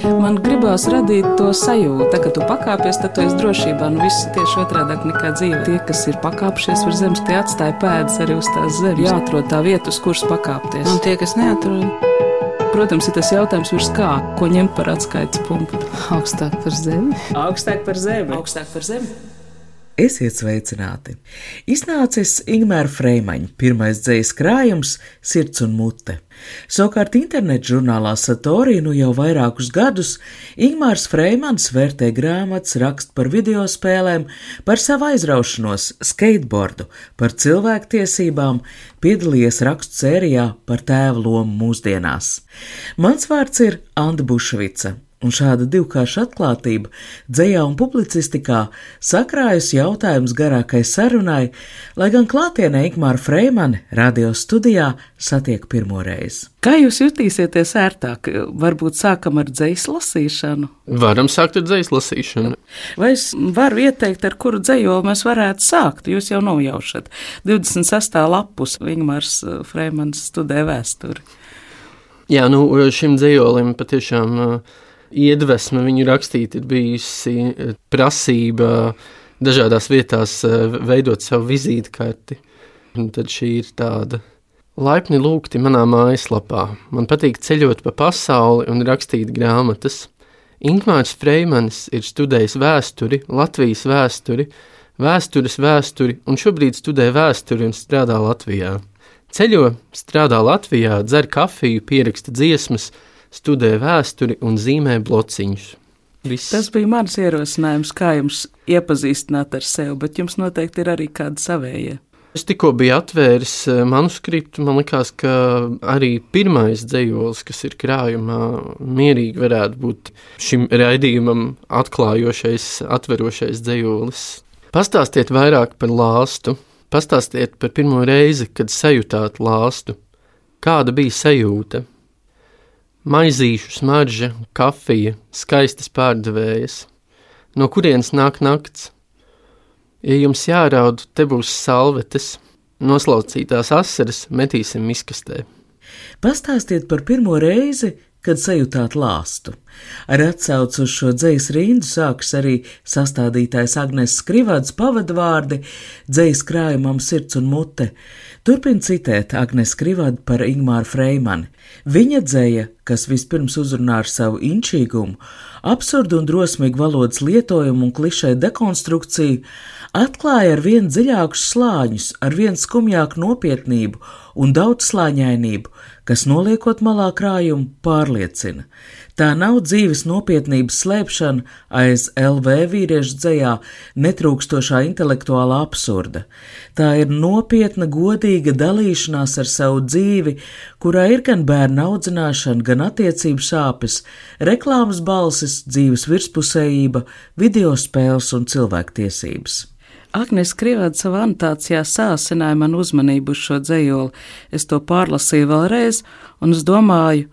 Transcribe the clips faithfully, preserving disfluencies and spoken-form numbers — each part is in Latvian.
Man gribās radīt to sajūtu, ka tu pakāpies, tad tu esi drošībā. Nu, viss tieši otrādāk nekā dzīve. Tie, kas ir pakāpšies virs zemes, tie atstāja pēdas arī uz tās zemes. Jāatrod tā vieta, uz kuras pakāpties. Un tie, kas neatrod? Protams, ir tas jautājums virs kā, ko ņemt par atskaites punktu. Augstāk par zemi. Augstāk par zemi. Augstāk par zemi. Esiet sveicināti! Iznācis Ingmāra Freimaņa pirmais dzejas krājums Sirds un mute. Savukārt internetu žurnālā Satori nu jau vairākus gadus Ingmārs Freimans vērtē grāmatas, raksta par videospēlēm, par savu aizraušanos, skateboardu, par cilvēktiesībām, piedalījies rakstu sērijā par tēva lomu mūsdienās. Mans vārds ir Anda Bušvica. Un šāda divkārša atklātība dzejā un publicistikā sakrājusi jautājums garākai sarunai, lai gan klātienē Ingmāra Freimani radio studijā satiek pirmoreiz. Kā jūs jutīsieties ērtāk? Varbūt sākam ar dzejas lasīšanu? Varam sākt ar dzejas lasīšanu. Vai es varu ieteikt, ar kuru dzejoli mēs varētu sākt? Jūs jau nojaušat. divdesmit sestā lapus Ingmārs Freimans studē vēsturi. Jā, nu šim dzejolim patiešām iedvesma viņu rakstīt ir bijusi prasība dažādās vietās veidot savu vizītkarti. Un tad šī ir tāda laipni lūgti manā mājaslapā. Man patīk ceļot pa pasauli un rakstīt grāmatas. Ingmārs Freimanis ir studējis vēsturi, Latvijas vēsturi, vēstures vēsturi un šobrīd studē vēsturi un strādā Latvijā. Ceļo, strādā Latvijā, dzer kafiju, pieraksta dziesmas, studē vēsturi un zīmē blociņus. Viss. Tas bija mans ierosinājums, kā jums iepazīstināt ar sevi, bet jums noteikti ir arī kāda savējie. Es tikko biju atvēris manuskriptu, man likās, ka arī pirmais dzejolis, kas ir krājumā, mierīgi varētu būt šim raidījumam atklājošais, atverošais dzejolis. Pastāstiet vairāk par lāstu, pastāstiet par pirmo reizi, kad sajūtāt lāstu. Kāda bija sajūta? Maizīšu smarža, kafija, skaistas pārdevējas. No kurienes nāk nakts? Ja jums jāraud, te būs salvetes, noslaucītās asaras metīsim miskastē. Pastāstiet par pirmo reizi, kad sajūtāt lāstu. Ar atsaucu uz šo dzejas rindu sākas arī sastādītājs Agnes Skrivads pavadvārdi dzejas krājumam Sirds un mute. Turpin citēt Agnes Skrivadu par Ingmāru Freimani. Viņa dzeja, kas vispirms uzrunā ar savu inčīgumu, absurdu un drosmīgu valodas lietojumu un klišē dekonstrukciju, atklāja ar vien dziļākus slāņus, ar vien skumjāku nopietnību un daudzslāņainību, kas noliekot malā krājumu pārliecina. Tā nav dzīves nopietnības slēpšana aiz L V vīriešu dzejā netrūkstošā intelektuālā absurda. Tā ir nopietna, godīga dalīšanās ar savu dzīvi, kurā ir gan bērnu audzināšana, gan attiecību sāpes, reklāmas balsis, dzīves virspusējība, videospēles un cilvēktiesības. Agnes Skrivada savā anotācijā sāsināja man uzmanību uz šo dzejoli. Es to pārlasīju vēlreiz, un es domāju,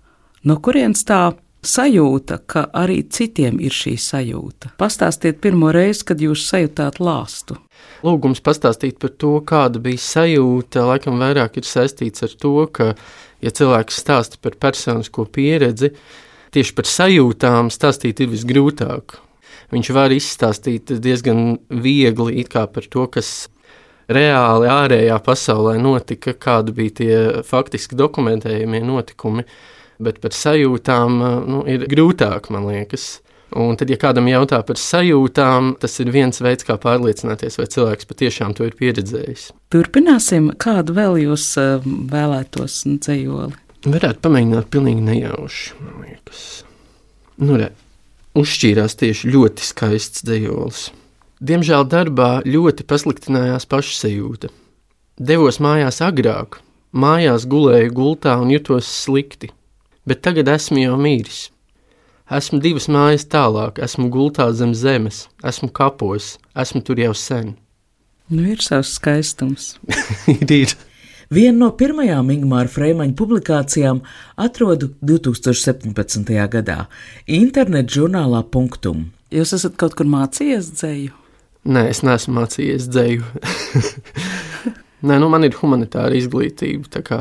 no kurienes tā sajūta, ka arī citiem ir šī sajūta. Pastāstiet pirmo reizi, kad jūs sajūtāt lāstu. Lūgums pastāstīt par to, kāda bija sajūta, laikam vairāk ir saistīts ar to, ka, ja cilvēks stāsta par personisko pieredzi, tieši par sajūtām stāstīt ir visgrūtāk. Viņš var izstāstīt diezgan viegli it kā par to, kas reāli ārējā pasaulē notika, kādi bija tie faktiski dokumentējumie notikumi, bet par sajūtām nu, ir grūtāk, man liekas. Un tad, ja kādam jautā par sajūtām, tas ir viens veids, kā pārliecināties, vai cilvēks patiešām to ir pieredzējis. Turpināsim, kādu vēl jūs vēlētos dzejoli? Varētu pamēģināt pilnīgi nejauši, man liekas. Nu, re. Uzšķīrās tieši ļoti skaists dzejolis. Diemžēl darbā ļoti pasliktinājās pašsajūta. Devos mājās agrāk, mājās gulēju gultā un jutos slikti, bet tagad esmu jau mīris. Esmu divas mājas tālāk, esmu gultā zem zemes, esmu kapos, esmu tur jau sen. Nu, ir savs skaistums. ir, ir. Vienu no pirmajām Ingmāra Freimaņa publikācijām atrodu divs tūkstoši septiņpadsmitajā gadā internetu žurnālā Punktum. Jūs esat kaut kur mācījies dzeju? Nē, es neesmu mācījies dzeju. Nē, nu man ir humanitāra izglītība, tā kā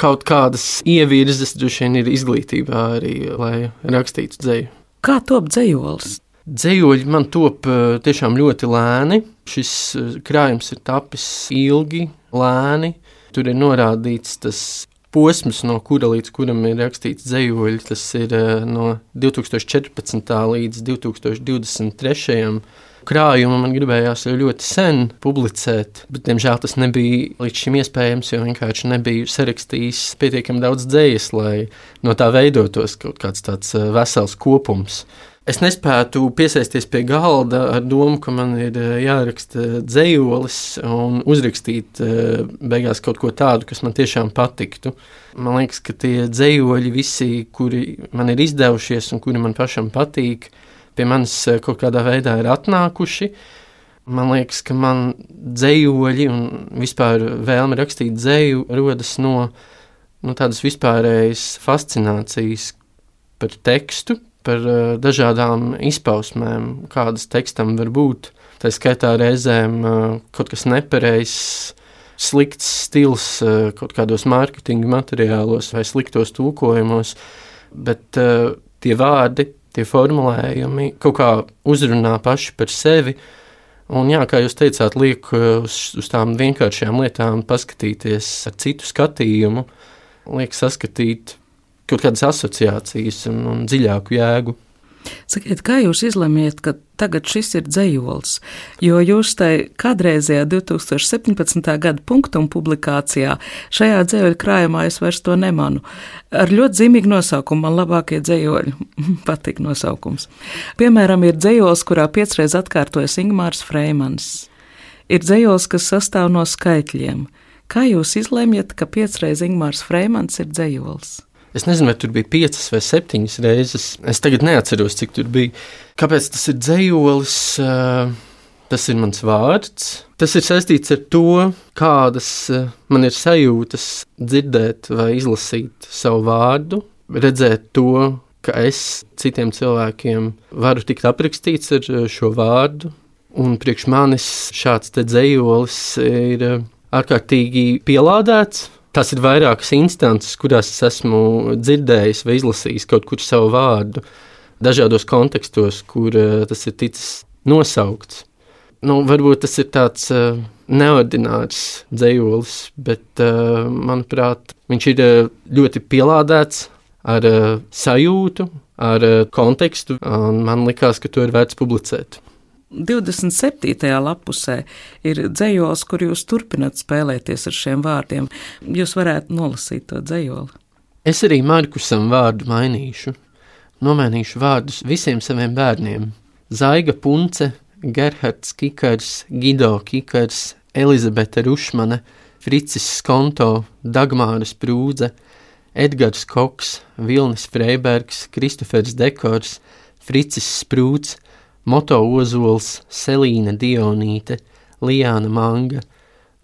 kaut kādas ievirzes droši vien ir izglītībā arī, lai rakstītu dzeju. Kā top dzejolis? Dzejoļi man top tiešām ļoti lēni. Šis krājums ir tapis ilgi, lēni. Tur ir norādīts tas posms, no kura līdz kuram ir rakstīts dzejoļi. Tas ir no divtūkstoš četrpadsmitā līdz divtūkstoš divdesmit trešajam krājumu man gribējās ļoti sen publicēt, bet, diemžēl, tas nebija līdz šim iespējams, jo vienkārši nebiju sarakstījis pietiekami daudz dzejas, lai no tā veidotos kaut kāds tāds vesels kopums. Es nespētu piesaisties pie galda ar domu, ka man ir jāraksta dzejolis un uzrakstīt beigās kaut ko tādu, kas man tiešām patiktu. Man liekas, ka tie dzejoļi visi, kuri man ir izdevušies un kuri man pašam patīk, pie manis kaut kādā veidā ir atnākuši. Man liekas, ka man dzejoļi un vispār vēlme rakstīt dzeju rodas no, no tādas vispārējas fascinācijas par tekstu, par uh, dažādām izpausmēm, kādas tekstam var būt. Tā skaitā reizēm uh, kaut kas nepareizs, slikts stils uh, kaut kādos mārketinga materiālos vai sliktos tulkojumos, bet uh, tie vārdi, tie formulējumi kaut kā uzrunā paši par sevi. Un jā, kā jūs teicāt, liek uz, uz tām vienkāršajām lietām paskatīties ar citu skatījumu, liek saskatīt kaut kādas asociācijas un, un dziļāku jēgu. Sakiet, kā jūs izlemiet, ka tagad šis ir dzejols? Jo jūs tai kādreizajā divtūkstoš septiņpadsmitā gada punktuma publikācijā šajā dzejoļu krājumā es vairs to nemanu. Ar ļoti zīmīgu nosaukumu, man labākie dzejoļi, patīk nosaukums. Piemēram, ir dzejols, kurā piecreiz atkārtojas Ingmārs Freimans. Ir dzejols, kas sastāv no skaitļiem. Kā jūs izlemjat, ka piecreiz Ingmārs Freimans ir dzejols? Es nezinu, vai tur bija piecas vai septiņas reizes. Es tagad neatceros, cik tur bija. Kāpēc tas ir dzejolis? Tas ir mans vārds. Tas ir saistīts ar to, kādas man ir sajūtas dzirdēt vai izlasīt savu vārdu, redzēt to, ka es citiem cilvēkiem varu tikt aprakstīts ar šo vārdu. Un priekš manis šāds te dzejolis ir ārkārtīgi pielādēts. Tās ir vairākas instances, kurās es esmu dzirdējis vai izlasījis kaut kur savu vārdu, dažādos kontekstos, kur uh, tas ir ticis nosaukts. Nu, varbūt tas ir tāds uh, neordinārs dzejolis, bet, uh, manuprāt, viņš ir uh, ļoti pielādēts ar uh, sajūtu, ar uh, kontekstu, un man likās, ka to ir vērts publicēt. divdesmit septītajā lapusē ir dzejols, kur jūs turpināt spēlēties ar šiem vārdiem. Jūs varētu nolasīt to dzejoli. Es arī Markusam vārdu mainīšu. Nomainīšu vārdus visiem saviem bērniem. Zaiga Punce, Gerhards Kikars, Gido Kikars, Elizabete Rušmane, Fricis Skonto, Dagmāra Sprūdze, Edgars Koks, Vilnis Freibergs, Kristofers Dekors, Fricis Sprūds, Moto Ozols, Selīna Dionīte, Lijāna Manga,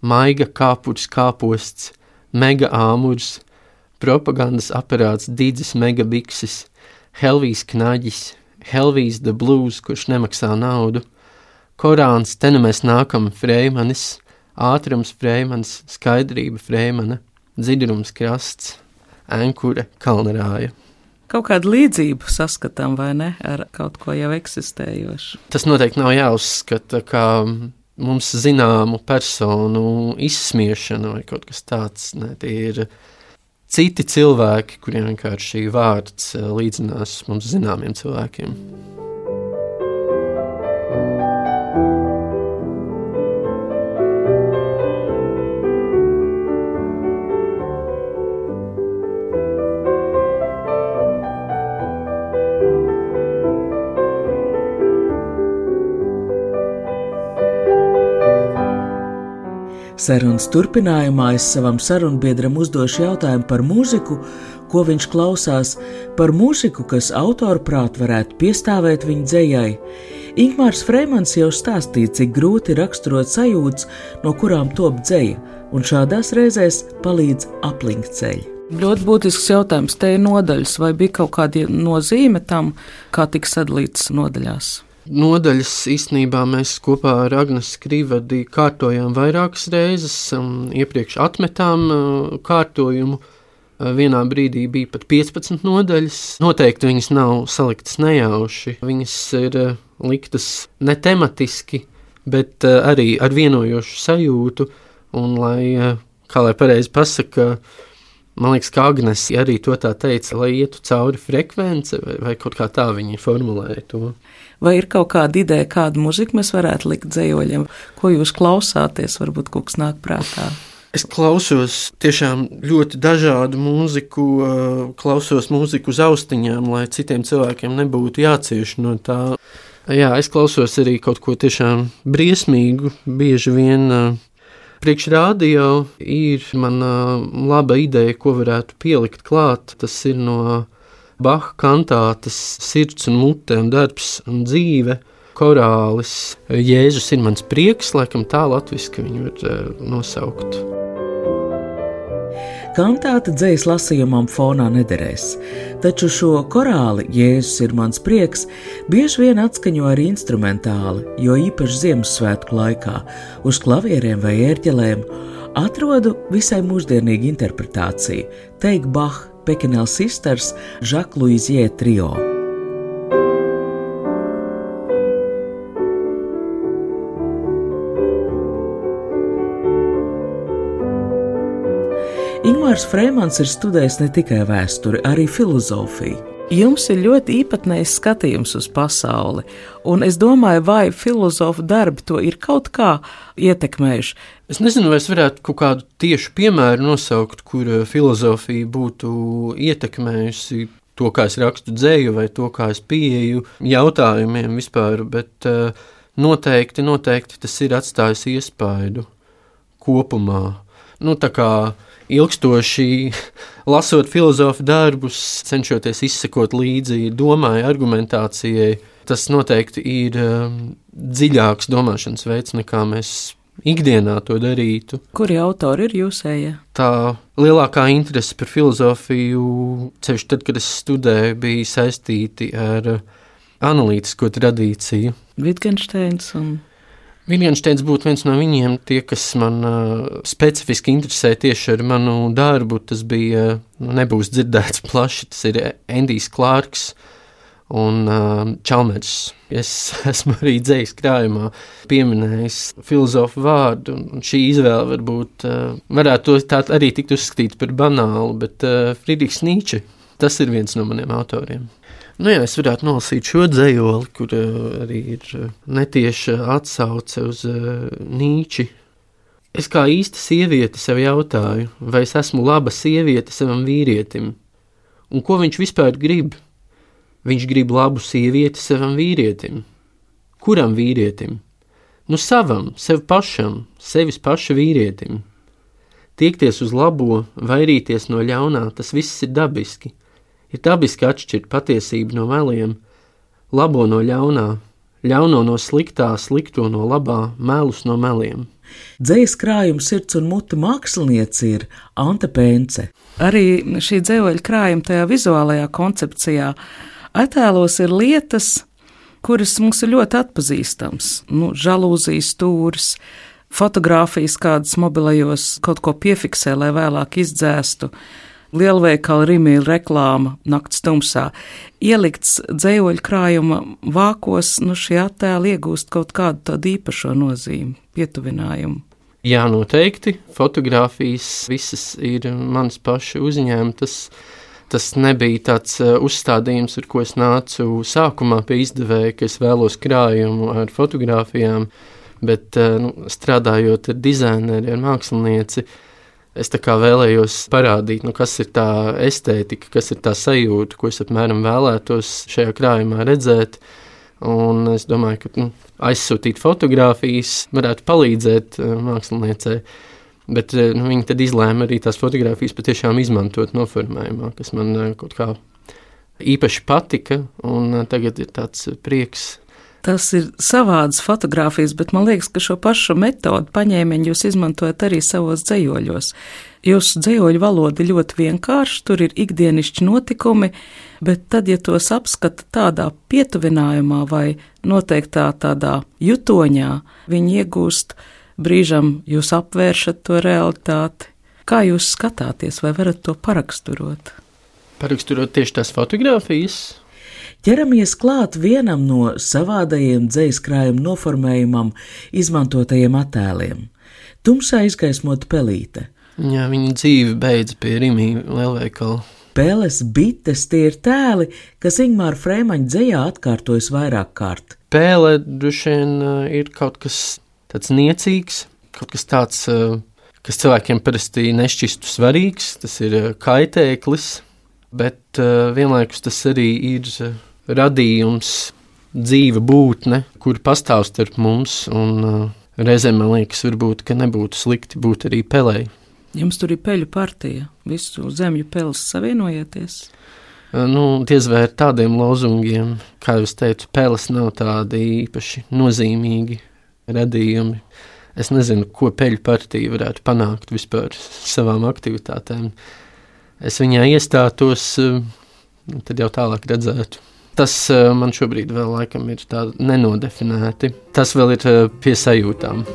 Maiga Kāpurs Kāposts, Mega Āmurs, propagandas aparāts Didzis Megabiksis, Helvijs Knaģis, Helvijs the Blues, kurš nemaksā naudu, Korāns, te nu mēs nākam Freimanis, Ātrums Freimans, Skaidrība Freimana, Dzidrums Krasts, Enkure Kalnarāja. Kaut kādu līdzību saskatām, vai ne, ar kaut ko jau eksistējošu? Tas noteikti nav jāuzskata kā mums zināmu personu izsmiešana vai kaut kas tāds. Ne, tie ir citi cilvēki, kuriem vienkārši vārds līdzinās mums zināmiem cilvēkiem. Sarunas turpinājumā es savam sarunbiedram uzdošu jautājumu par mūziku, ko viņš klausās, par mūziku, kas autoru prāt varētu piestāvēt viņa dzejai. Ingmārs Freimans jau stāstīja, cik grūti raksturot sajūtas, no kurām top dzeja, un šādās reizēs palīdz aplinkceļi. Ļoti būtisks jautājums, te ir nodaļas, vai bija kaut kāda nozīme tam, kā tika sadalītas nodaļās? Nodaļas īstenībā mēs kopā ar Agnesi Krivadi kārtojām vairākas reizes, um, iepriekš atmetām uh, kārtojumu, Vienā brīdī bija pat piecpadsmit nodaļas. Noteikti viņas nav saliktas nejauši. Viņas ir liktas ne tematiski, bet arī ar vienojošu sajūtu. Un, lai, kā lai pareizi pasaka, man liekas, ka Agnese arī to tā teica, lai ietu cauri frekvence, vai, vai kaut kā tā viņi formulēja to. Vai ir kaut kāda ideja, kādu muziku mēs varētu likt dzejoļiem? Ko jūs klausāties, varbūt kaut kas nāk prātā? Es klausos tiešām ļoti dažādu mūziku, klausos mūziku uz austiņām, lai citiem cilvēkiem nebūtu jācieš no tā. Jā, es klausos arī kaut ko tiešām briesmīgu, bieži vien priekš rādio ir mana laba ideja, ko varētu pielikt klāt. Tas ir no Baha kantātes Sirds un mute un darbs un dzīve, korālis. Jēzus ir mans prieks, laikam tā latviski viņu var nosaukt. Kantāte dzejas lasījumam fonā nederēs, taču šo korāli Jēzus ir mans prieks bieži vien atskaņo arī instrumentāli, jo īpaši Ziemassvētku laikā uz klavieriem vai ērģelēm atrodu visai mūsdienīgu interpretāciju, teik Bach, Pekinel Sisters, Jacques Louisier trio. Ingmārs Freimans ir studējis ne tikai vēsturi, arī filozofiju. Jums ir ļoti īpatnējs skatījums uz pasauli, un es domāju, vai filozofu darbi to ir kaut kā ietekmējuši. Es nezinu, vai es varētu kaut kādu tiešu piemēru nosaukt, kur filozofija būtu ietekmējusi to, kā es rakstu dzeju, vai to, kā es pieeju jautājumiem vispār, bet noteikti, noteikti tas ir atstājis iespaidu kopumā. Nu, tā kā ilgstoši lasot filozofu darbus, cenšoties izsekot līdzi domai, argumentācijai, tas noteikti ir um, dziļāks domāšanas veids, nekā mēs ikdienā to darītu. Kuri autori ir jūsējie? Tā lielākā interese par filozofiju, ceļš tad, kad es studēju, bija saistīti ar analītisko tradīciju. Wittgensteins un... Wittgensteins būtu viens no viņiem, tie, kas man uh, specifiski interesē tieši ar manu darbu. Tas bija, uh, nebūs dzirdēts plaši, tas ir Endijs Klārks un uh, Čalmers. Es esmu arī dzejas krājumā pieminējis filozofu vārdu, un šī izvēle varbūt uh, varētu tā arī tikt uzskatīt par banālu, bet uh, Friedrichs Nīče, tas ir viens no maniem autoriem. Nu jā, es varētu nolasīt šo dzejoli, kur uh, arī ir uh, netieša atsauce uz uh, Nīči. Es kā īsta sieviete sev jautāju, vai es esmu laba sieviete savam vīrietim. Un ko viņš vispār grib? Viņš grib labu sievieti savam vīrietim. Kuram vīrietim? Nu savam, sev pašam, sevis paša vīrietim. Tiekties uz labo, vairīties no ļaunā, tas viss ir dabiski. Ir dabiski atšķirt patiesību no meliem, labo no ļaunā, ļauno no sliktā, slikto no labā, melus no meliem. Dzejas krājuma Sirds un mute māksliniece ir Ante Pence. Arī šī dzejoļa krājuma tajā vizuālajā koncepcijā attēlos ir lietas, kuras mums ir ļoti atpazīstams. Nu, žalūzijas stūris, fotogrāfijas kādas mobilajos kaut ko piefiksē, lai vēlāk izdzēstu. Lielveikala Rimīla reklāma nakts tumsā. Ielikts dzejoļu krājuma vākos, nu šie attēli iegūst kaut kādu tādu īpašo nozīmi, pietuvinājumu. Jā, noteikti. Fotogrāfijas visas ir mans paša uzņēmtas. Tas nebija tāds uzstādījums, ar ko es nācu sākumā pie izdevēja, ka es vēlos krājumu ar fotogrāfijām, bet nu, strādājot ar dizaineri, ar mākslinieci, es tā kā vēlējos parādīt, nu, kas ir tā estētika, kas ir tā sajūta, ko es apmēram vēlētos šajā krājumā redzēt. Un es domāju, ka nu, aizsūtīt fotogrāfijas varētu palīdzēt uh, māksliniecei. Bet uh, nu, viņi tad izlēma arī tās fotogrāfijas patiešām izmantot noformējumā, kas man uh, kaut kā īpaši patika, un uh, tagad ir tāds uh, prieks. Tas ir savādas fotogrāfijas, bet man liekas, ka šo pašu metodu paņēmienu jūs izmantojat arī savos dzejoļos. Jūsu dzejoļu valoda ir ļoti vienkārša, tur ir ikdienišķi notikumi, bet tad, ja tos apskata tādā pietuvinājumā vai noteiktā tādā jutoņā, viņi iegūst brīžam, jūs apvēršat to realitāti. Kā jūs skatāties, vai varat to paraksturot? Paraksturot tieši tās fotogrāfijas? Ķeramies klāt vienam no savādajiem dzejas krājuma noformējumam izmantotajiem attēliem. Tumsā izgaismota pelīte. Jā, viņa dzīve beidz pie Rimī lielveikala. Peles bites tie ir tēli, kas Ingmāra Freimaņa dzejā atkārtojas vairāk kārt. Pēle droši vien ir kaut kas tāds niecīgs, kaut kas tāds, kas cilvēkiem parasti nešķistu svarīgs, tas ir kaitēklis, bet vienlaikus tas arī ir radījums, dzīva būtne, kur pastāv starp mums, un reizēm man liekas, varbūt, ka nebūtu slikti būt arī pelei. Jums tur ir peļu partija, visu zemju peles savienojieties? Nu, diez vai ar tādiem lozungiem, kā jau es teicu, peles nav tādi īpaši nozīmīgi radījumi. Es nezinu, ko peļu partija varētu panākt vispār savām aktivitātēm. Es viņā iestātos, tad jau tālāk redzētu. Tas man šobrīd vēl laikam ir tā nenodefinēti. Tas vēl ir pie sajūtām.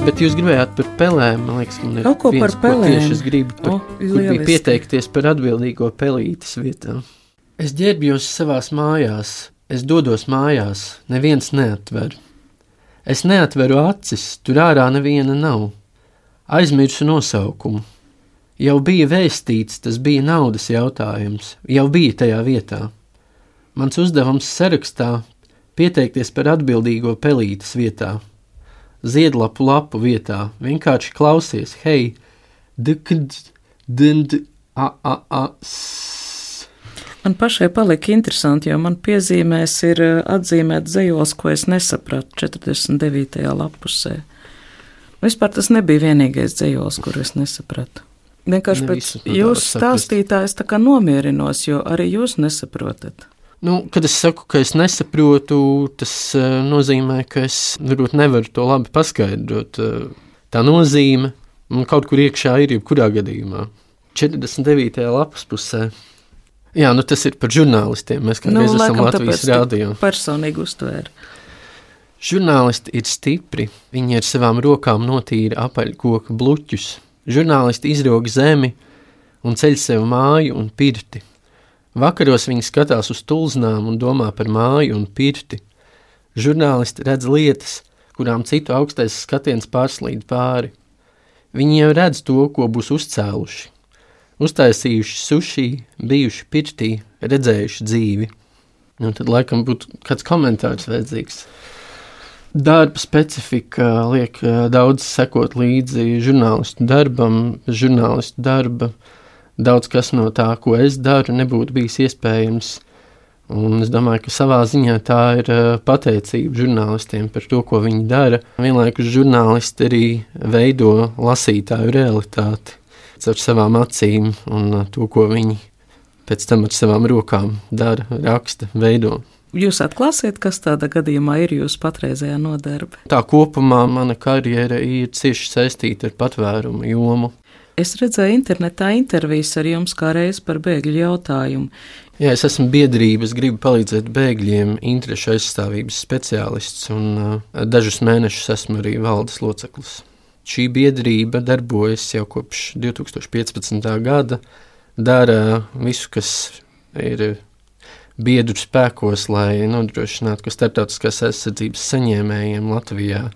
Bet jūs gribējāt par pelēm, man liekas, man ir kaut ko viens, par pelēm. Tieši es gribu, par, oh, kur bija pieteikties par atbildīgo pelītes vietā. Es ģērbjos savās mājās, es dodos mājās, neviens neatver. Es neatveru acis, tur ārā neviena nav. Aizmirsu nosaukumu. Jau bija vēstīts, tas bija naudas jautājums, jau bija tajā vietā. Mans uzdevums sarakstā pieteikties par atbildīgo pelītes vietā. Ziedlapu lapu vietā, vienkārši klausies, hei, dikd, dind, a, a, a, s. Man pašai palika interesanti, jo man piezīmēs ir atzīmēt zejols, ko es nesapratu četrdesmit devītajā lapusē. Vispār tas nebija vienīgais zejols, kur es nesapratu. Vienkārši pēc jūsu stāstītājs tā kā nomierinos, jo arī jūs nesaprotat. Nu, kad es saku, ka es nesaprotu, tas uh, nozīmē, ka es varbūt nevaru to labi paskaidrot. Uh, tā nozīme man kaut kur iekšā ir jebkurā gadījumā. četrdesmit devītajā lapas pusē. Jā, nu tas ir par žurnālistiem. Mēs kādreiz nu, esam Latvijas rādio. Personīgi uztvēra. Žurnālisti ir stipri. Viņi ar savām rokām notīra apaļkoka bluķus. Žurnālisti izrog zemi un ceļ sev māju un pirti. Vakaros viņi skatās uz tulznām un domā par māju un pirti. Žurnālisti redz lietas, kurām citu augstais skatiens pārslīd pāri. Viņi jau redz to, ko būs uzcēluši. Uztaisījuši suši, bijuši pirtī, redzējuši dzīvi. Un tad laikam būtu kāds komentārs vajadzīgs. Darba specifika liek daudz sekot līdzi žurnālistu darbam, žurnālistu darba. Daudz kas no tā, ko es daru, nebūtu bijis iespējams. Un es domāju, ka savā ziņā tā ir pateicība žurnālistiem par to, ko viņi dara. Vienlaikus žurnālisti arī veido lasītāju realitāti ar savām acīm un to, ko viņi pēc tam ar savām rokām dara, raksta, veido. Jūs atklāsiet, kas tādā gadījumā ir jūsu patreizējā nodarbe? Tā kopumā mana karjera ir cieši saistīta ar patvērumu jomu. Es redzēju internetā intervijas ar jums kā reiz par bēgļu jautājumu. Jā, es esmu biedrības, gribu palīdzēt bēgļiem, interešu aizstāvības speciālists un uh, dažus mēnešus esmu arī valdes loceklis. Šī biedrība darbojas jau kopš divi tūkstoši piecpadsmitā gada, dara visu, kas ir biedru spēkos, lai nodrošinātu, ka starptautiskās aizsardzības saņēmējiem Latvijā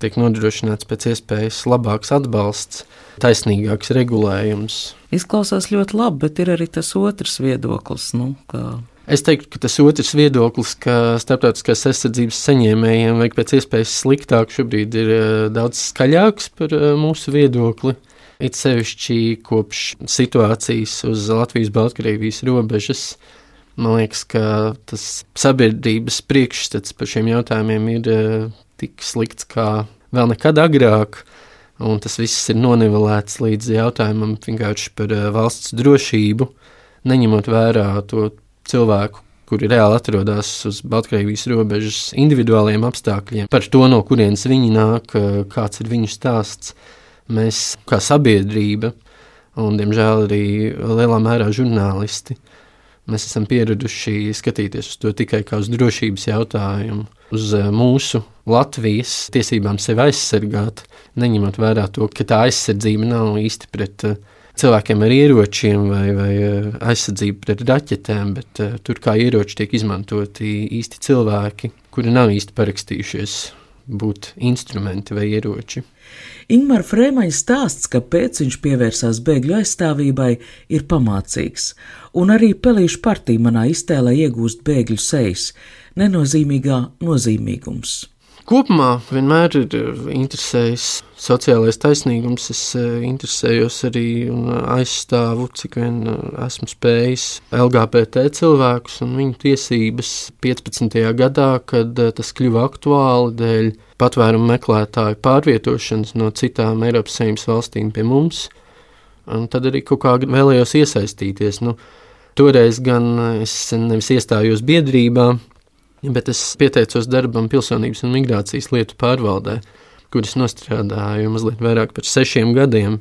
tiek nodrošināts pēc iespējas labāks atbalsts, taisnīgāks regulējums. Izklausās ļoti labi, bet ir arī tas otrs viedoklis. Nu, kā... Es teiktu, ka tas otrs viedoklis, ka starptautiskās aizsardzības saņēmējiem vajag pēc iespējas sliktāk, šobrīd ir daudz skaļāks par mūsu viedokli. It sevišķi kopš situācijas uz Latvijas-Baltkrievijas robežas. Man liekas, ka tas sabiedrības priekšstats par šiem jautājumiem ir tik slikts kā vēl nekad agrāk, un tas viss ir nonivelēts līdz jautājumam vienkārši par valsts drošību, neņemot vērā to cilvēku, kuri reāli atrodas uz Baltkrievijas robežas individuāliem apstākļiem, par to, no kurienes viņi nāk, kāds ir viņu stāsts. Mēs kā sabiedrība, un diemžēl arī lielā mērā žurnālisti, Mēs esam pieraduši skatīties uz to tikai kā uz drošības jautājumu, uz mūsu Latvijas tiesībām sevi aizsargāt, neņemot vērā to, ka tā aizsardzība nav īsti pret cilvēkiem ar ieročiem vai, vai aizsardzība pret raķetēm, bet tur kā ieroči tiek izmantoti īsti cilvēki, kuri nav īsti parakstījušies būt instrumenti vai ieroči. Ingmara Frēmaņa stāsts, kāpēc viņš pievērsās bēgļu aizstāvībai, ir pamācīgs, un arī Pelīšu partija manā iztēlē iegūst bēgļu sejas, nenozīmīgā nozīmīgums. Kopumā vienmēr ir interesējis sociālais taisnīgums, es interesējos arī un aizstāvu, cik vien esmu spējis L G B T cilvēkus un viņu tiesības piecpadsmitajā gadā, kad tas kļuva aktuāli dēļ patvērumu meklētāju pārvietošanas no citām Eiropas Savienības valstīm pie mums, un tad arī kaut kā vēlējos iesaistīties. Nu, toreiz gan es nevis iestājos biedrībā, bet es pieteicos darbam Pilsonības un migrācijas lietu pārvaldē, kuras nostrādāju mazliet vairāk par sešiem gadiem.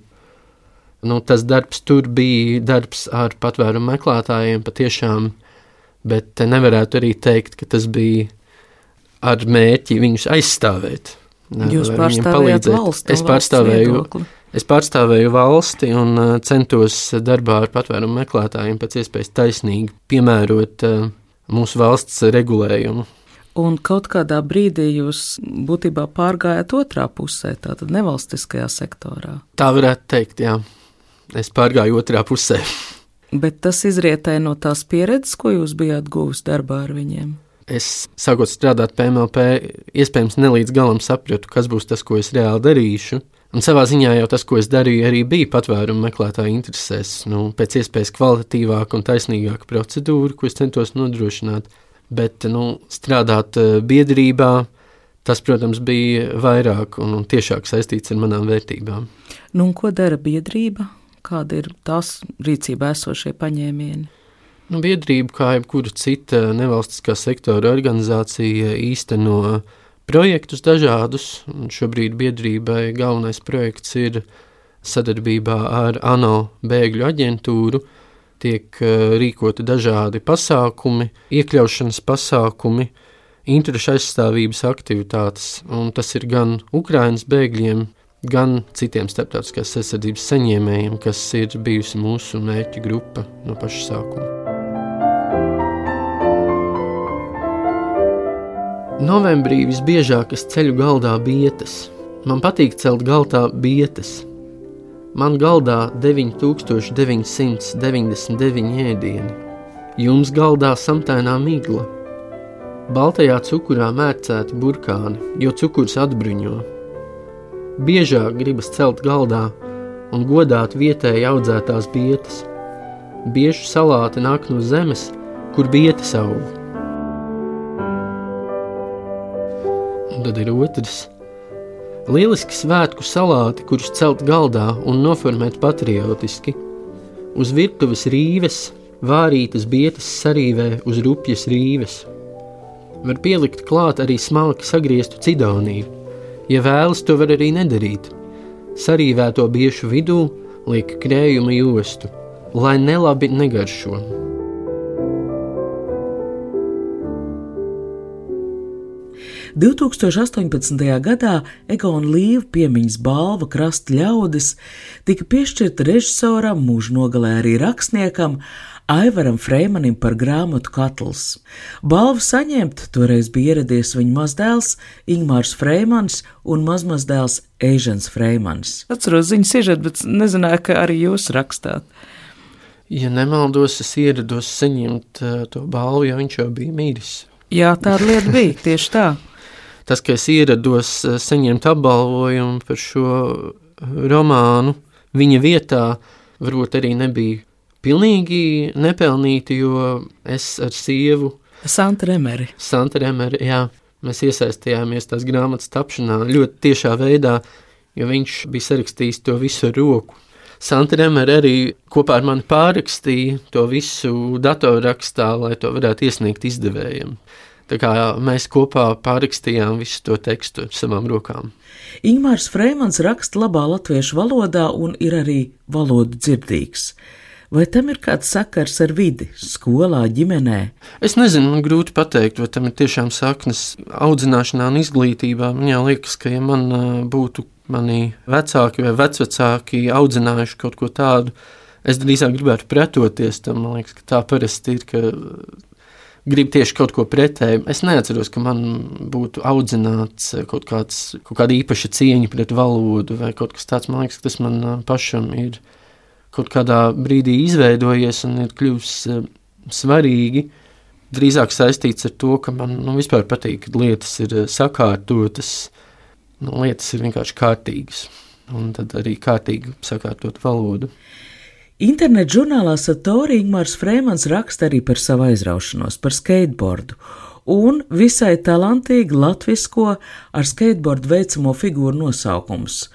Nu, tas darbs tur bija darbs ar patvērumu meklētājiem patiešām, bet nevarētu arī teikt, ka tas bija ar mērķi viņus aizstāvēt. Jūs pārstāvējāt valsti es pārstāvēju, es pārstāvēju valsti un centos darbā ar patvērumu meklētājiem pēc iespējas taisnīgi piemērot mūsu valsts regulējumu. Un kaut kādā brīdī jūs būtībā pārgājāt otrā pusē, tātad nevalstiskajā sektorā. Tā varētu teikt, jā. Es pārgāju otrā pusē. Bet tas izrietēja no tās pieredzes, ko jūs bijāt guvis darbā ar viņiem? Es, sākot strādāt P M L P, iespējams nelīdz galam sapratu, kas būs tas, ko es reāli darīšu. Un savā ziņā jau tas, ko es darīju, arī bija patvērumu meklētāju interesēs. Nu, pēc iespējas kvalitatīvāka un taisnīgāka procedūra, ko es centos nodrošināt. Bet nu, strādāt biedrībā, tas, protams, bija vairāk un, un tiešāk saistīts ar manām vērtībām. Nu, un ko dara biedrība? Kāda ir tās rīcībā esošie paņēmieni? Nu, biedrība, kā jebkura cita nevalstiskā sektora organizācija, īsteno projektus dažādus, un šobrīd biedrībai galvenais projekts ir sadarbībā ar ANO bēgļu aģentūru, tiek rīkoti dažādi pasākumi, iekļaušanas pasākumi, interešu aizstāvības aktivitātes, un tas ir gan Ukrainas bēgļiem, gan citiem starptautiskās aizsardzības saņēmējiem, kas ir bijusi mūsu mērķu grupa no paša sākuma. Novembrī visbiežāk es ceļu galdā bietes. Man patīk celt galdā bietes. Man galdā deviņi tūkstoši deviņi simti deviņdesmit deviņi ēdieni. Jums galdā samtainā migla. Baltajā cukurā mērcēti burkāni, jo cukurs atbruņo. Biežāk gribas celt galdā un godāt vietēji audzētās bietes. Biešu salāti nāk no zemes, kur bietes aug. Un tad ir otrs. Lieliski svētku salāti, kurus celt galdā un noformēt patriotiski. Uz virtuves rīves, vārītas bietes sarīvē uz rupjas rīves. Var pielikt klāt arī smalki sagrieztu cidoniju. Ja vēlas, to var arī nedarīt. Sarīvēto biešu vidū liek krējuma jostu, lai nelabi negaršo. divtūkstoš astoņpadsmitajā gadā Egona Līva piemiņas balva Krasta ļaudis tika piešķirta režisoram, mūža nogalē arī rakstniekam Aivaram Frēmanim par grāmatu Katls. Balvu saņemt toreiz bija ieradies viņa mazdēls Ingmārs Frēmans un mazmazdēls Eižens Frēmans. Atceros ziņu sižetu, bet nezināju, ka arī jūs rakstāt. Ja nemaldos, es ierados saņemt uh, to balvu, jo viņš jau bija mīris. Jā, tāda lieta bija, tieši tā. Tas, ka es ierados saņemt apbalvojumu par šo romānu, viņa vietā varbūt arī nebija pilnīgi nepelnīti, jo es ar sievu Santa Remeri. Santa Remeri, jā, mēs iesaistījāmies tās grāmatas tapšanā ļoti tiešā veidā, jo viņš bija sarakstījis to visu ar roku. Santa Remeri arī kopā ar mani pārrakstīja to visu datorrakstā, lai to varētu iesniegt izdevējiem. Tā kā mēs kopā pārrakstījām visu to tekstu ar savām rokām. Ingmārs Frēmans raksta labā latviešu valodā un ir arī valodu dzirdīgs. Vai tam ir kāds sakars ar vidi, skolā, ģimenē? Es nezinu, man grūti pateikt, vai tam ir tiešām saknes audzināšanā un izglītībā. Man jau liekas, ka ja man būtu mani vecāki vai vecvecāki audzinājuši kaut ko tādu, es drīzāk gribētu pretoties tam. Man liekas, ka tā parasti ir, ka grib tieši kaut ko pretēju. Es neatceros, ka man būtu audzināts kaut, kāds, kaut kāda īpaša cieņa pret valodu vai kaut kas tāds. Man liekas, ka tas man pašam ir kaut kādā brīdī izveidojies un ir kļuvis uh, svarīgi. Drīzāk saistīts ar to, ka man nu, vispār patīk, kad lietas ir uh, sakārtotas, nu, lietas ir vienkārši kārtīgas, un tad arī kārtīgi sakārtot valodu. Internet žurnālā Satori Ingmārs Frēmans raksta arī par savu aizraušanos, par skateboardu, un visai talantīgi latvisko ar skateboardu veicamo figūru nosaukums.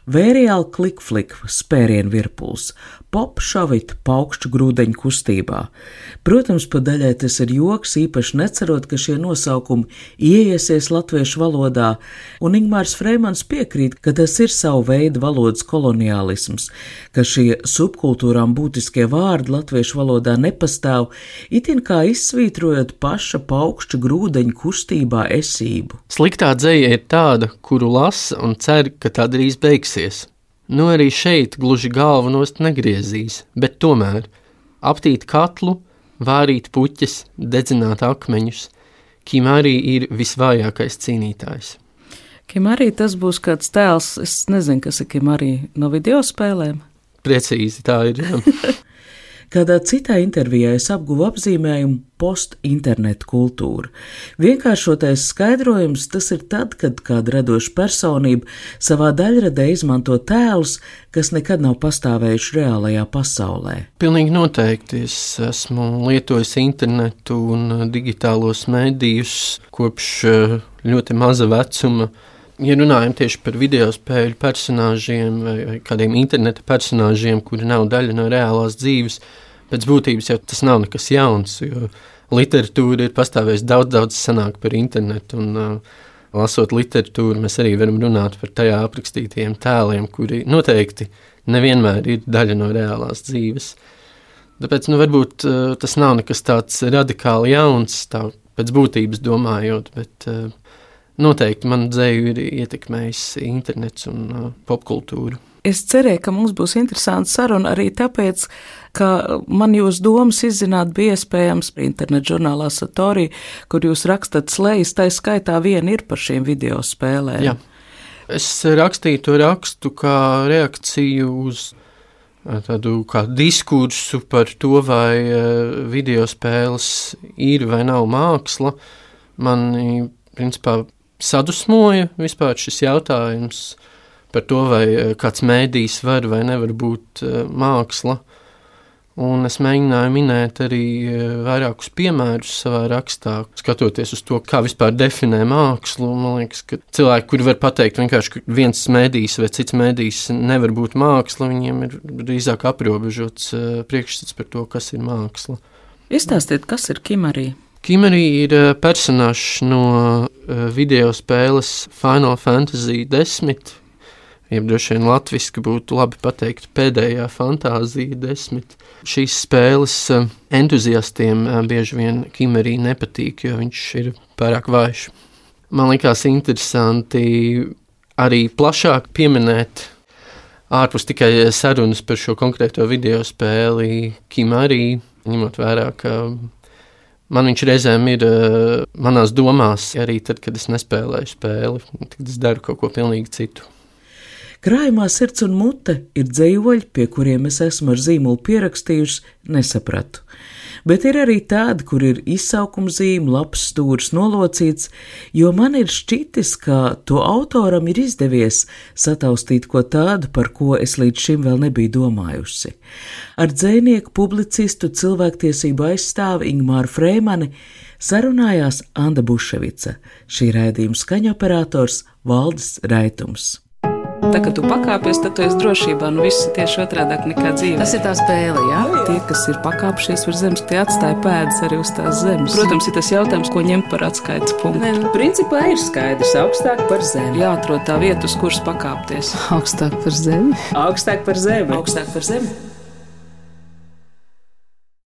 Vēriāli klikflik, spērienu virpuls, pop šovita paukšķu grūdeņu kustībā. Protams, pa daļai tas ir joks, īpaši necerot, ka šie nosaukumi ieiesies latviešu valodā, un Ingmārs Frēmans piekrīt, ka tas ir savu veidu valodas koloniālisms, ka šie subkultūrām būtiskie vārdi latviešu valodā nepastāv, itin kā izsvītrojot paša paukšķu grūdeņu kustībā esību. Sliktā dzeja ir tāda, kuru lasa un cer, ka tā drīz beigsies. Nu arī šeit gluži galvu nost negriezīs, bet tomēr aptīt katlu, vārīt puķes, dedzināt akmeņus. Kim arī ir visvājākais cīnītājs. Kim arī tas būs kāds tēls, es nezinu, kas ir Kim arī no video spēlēm. Precīzi tā ir. Kādā citā intervijā es apguvu apzīmējumu post-internetu kultūra. Vienkāršotais skaidrojums tas ir tad, kad kāda radoša personība savā daļradē izmanto tēlus, kas nekad nav pastāvējuši reālajā pasaulē. Pilnīgi noteikti. Es esmu lietojis internetu un digitālos mēdījus kopš ļoti maza vecuma. Ja runājam tieši par video spēļu personāžiem vai, vai kādiem interneta personāžiem, kuri nav daļa no reālās dzīves, pēc būtības jau tas nav nekas jauns, jo literatūra ir pastāvējusi daudz, daudz senāk par internetu, un uh, lasot literatūru, mēs arī varam runāt par tajā aprakstītajiem tēliem, kuri noteikti nevienmēr ir daļa no reālās dzīves. Tāpēc, nu, varbūt uh, tas nav nekas tāds radikāli jauns, tā pēc būtības domājot, bet uh, noteikti man dzēju ir ietekmējis internets un uh, popkultūra. Es cerēju, ka mums būs interesanta saruna arī tāpēc, ka man jūs domas izzināt bija iespējams internet žurnālā Satori, kur jūs rakstat slejas, tā skaitā viena ir par šiem video spēlēm. Jā. Es rakstīju to rakstu kā reakciju uz tādu kā diskursu par to, vai uh, video spēles ir vai nav māksla. Mani, principā, sadusmoja vispār šis jautājums par to, vai kāds mēdījis var vai nevar būt uh, māksla. Un es mēģināju minēt arī uh, vairākus piemērus savā rakstā, skatoties uz to, kā vispār definē mākslu. Man liekas, ka cilvēki, kuri var pateikt vienkārši, ka viens mēdījis vai cits mēdījis nevar būt māksla, viņiem ir drīzāk aprobežots uh, priekšstats par to, kas ir māksla. Izstāstiet, kas ir Kim arī? Kim arī ir personāžs no video spēles Final Fantasy desmit, jeb droši vien latviski būtu labi pateikt pēdējā fantāzija desmit. Šīs spēles entuziastiem bieži vien Kim arī nepatīk, jo viņš ir pārāk vājš. Man likās interesanti arī plašāk pieminēt ārpus tikai sarunas par šo konkrēto video spēli Kim arī, ņemot vērā, ka man viņš reizēm ir uh, manās domās, arī tad, kad es nespēlēju spēli, tad es daru kaut ko pilnīgi citu. Krājumā Sirds un mute ir dzejoļi, pie kuriem es esmu ar zīmolu pierakstījusi, nesapratu. Bet ir arī tādi, kur ir izsaukuma zīme, labs stūrs nolocīts, jo man ir šķitis, ka to autoram ir izdevies sataustīt ko tādu, par ko es līdz šim vēl nebiju domājusi. Ar dzejnieku, publicistu, cilvēktiesību aizstāvi Ingmāru Frēmani sarunājās Anda Buševica, šī raidījuma skaņoperators Valdis Raitums. Tā, kad tu pakāpies, tad tu esi drošībā, nu viss ir tieši otrādāk nekā dzīve. Tas ir tā spēle, jā? Tie, kas ir pakāpšies virs zemes, tie atstāja pēdas arī uz tās zemes. Protams, ir tas jautājums, ko ņemt par atskaites punktu. Nē, nu, principā ir skaidrs, augstāk par zemi. Jāatrod tā vieta, uz kuras pakāpties. Augstāk par zemi? Augstāk par zemi. Augstāk par zemi.